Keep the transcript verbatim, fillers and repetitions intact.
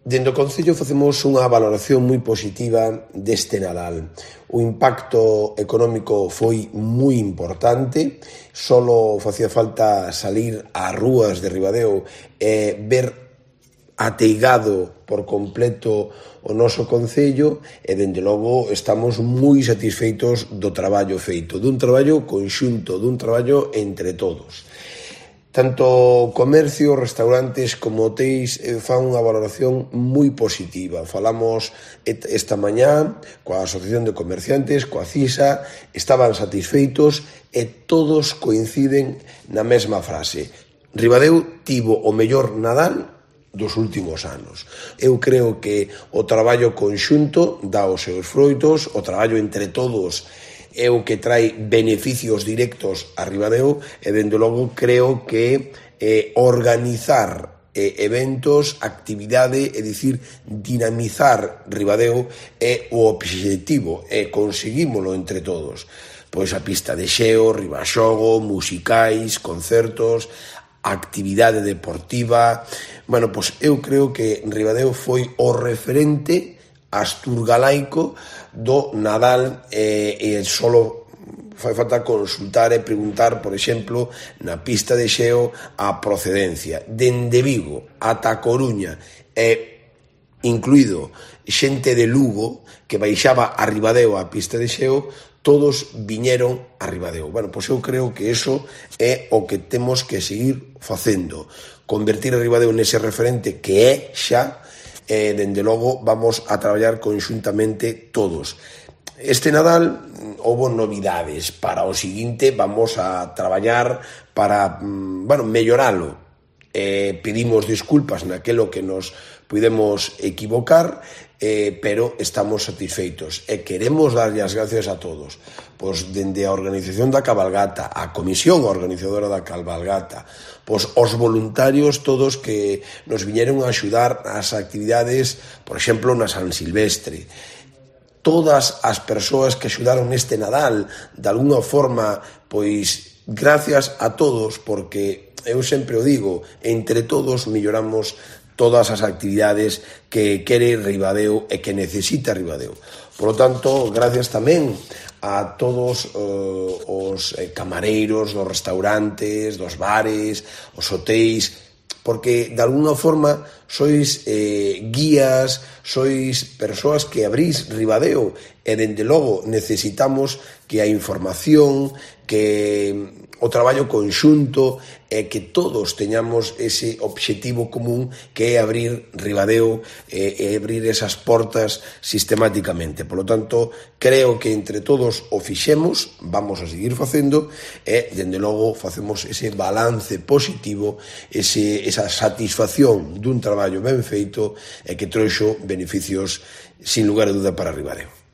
Dende o Concello facemos unha valoración moi positiva deste Nadal. O impacto económico foi moi importante, só facía falta salir ás rúas de Ribadeo e ver ateigado por completo o noso Concello e, dende logo, estamos moi satisfeitos do traballo feito, dun traballo conxunto, dun traballo entre todos. Tanto comercio, restaurantes como hotéis fan unha valoración moi positiva. Falamos esta mañá coa Asociación de Comerciantes, coa CISA, estaban satisfeitos e todos coinciden na mesma frase. Ribadeo tivo o mellor Nadal dos últimos anos. Eu creo que o traballo conxunto dá os seus froitos, o traballo entre todos é o que trae beneficios directos a Ribadeo e, dende logo, creo que eh, organizar eh, eventos, actividade, é dicir, dinamizar Ribadeo é o obxectivo e conseguímolo entre todos. Pois a pista de xeo, ribaxogo, musicais, concertos, actividade deportiva. Bueno, pois eu creo que Ribadeo foi o referente asturgalaico do Nadal e, e solo fai falta consultar e preguntar, por exemplo, na pista de xeo a procedencia. Dende Vigo ata Coruña e incluído xente de Lugo que baixaba a Ribadeo a pista de xeo, todos viñeron a Ribadeo. Bueno, pois eu creo que eso é o que temos que seguir facendo. Convertir a Ribadeo nese referente que é xa, e, dende logo, vamos a traballar conxuntamente todos. Este Nadal houbo novidades. Para o seguinte vamos a traballar para, bueno, melloralo. Eh, pedimos disculpas naquelo que nos pudemos equivocar, eh, pero estamos satisfeitos e queremos darlle as gracias a todos, pois dende a organización da cabalgata, a comisión organizadora da cabalgata, pois os voluntarios todos que nos viñeron a axudar ás actividades, por exemplo, na San Silvestre, todas as persoas que axudaron neste Nadal, de alguna forma, pois gracias a todos, porque eu sempre o digo, entre todos melloramos todas as actividades que quere Ribadeo e que necesita Ribadeo. Por lo tanto, gracias tamén a todos uh, os camareiros dos restaurantes, dos bares, os hotéis, porque de alguna forma sois eh, guías, sois persoas que abrís Ribadeo e, dende logo, necesitamos que a información, que o traballo conxunto e que todos teñamos ese obxectivo común que é abrir Ribadeo e, e abrir esas portas sistemáticamente. Por lo tanto, creo que entre todos o fixemos, vamos a seguir facendo e, dende logo, facemos ese balance positivo, ese, esa satisfacción dun traballo ben feito e que trouxo beneficios, sin lugar a duda, para Ribadeo.